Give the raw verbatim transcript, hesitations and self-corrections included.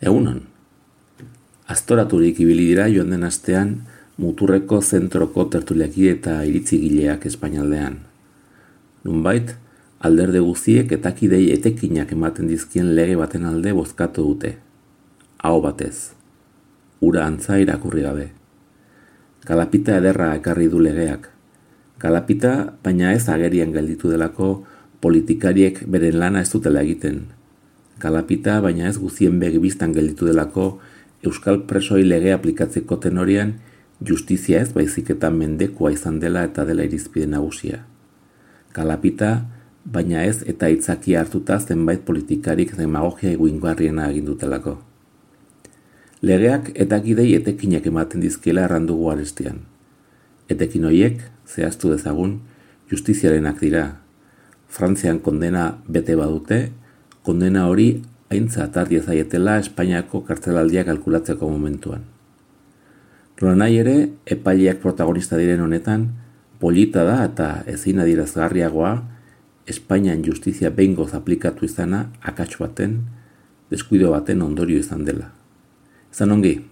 Egunon. Aztoraturik ibili dira joan den astean muturreko zentroko tertuliaki eta iritzigileak Espainialdean. Nunbait, alderde guztiek eta kidei etekinak ematen dizkien lege baten alde bozkatu dute. Aho batez. Ura antza irakurri gabe. Kalapita ederra ekarri du legeak. Kalapita, baina ez agerian gelditu delako politikariek beren lana ez dutela egiten. Kalapita, baina ez guzien begibistan gelditu delako Euskal presoi lege aplikatzeko tenorian justizia ez baizik eta mendekua izan dela eta dela irizpide nagusia. Kalapita, baina ez eta itzaki hartuta zenbait politikarik demagogia eguingarriena agindutelako. Legeak eta gidei etekinak ematen dizkiela errandugu arestian. Etekin horiek, zehaztu dezagun, justiziarenak dira. Frantzian kondena bete badute, kondena hori aintzat hartu zaietela Espainiako kartzelaldia kalkulatzeko momentuan. Nolanahi ere, epaileak protagonista diren honetan, polita da eta ezin adierazgarriagoa Espainian justizia behingoz aplikatu izana akats baten, deskuido baten ondorio izan dela. Izan ongi.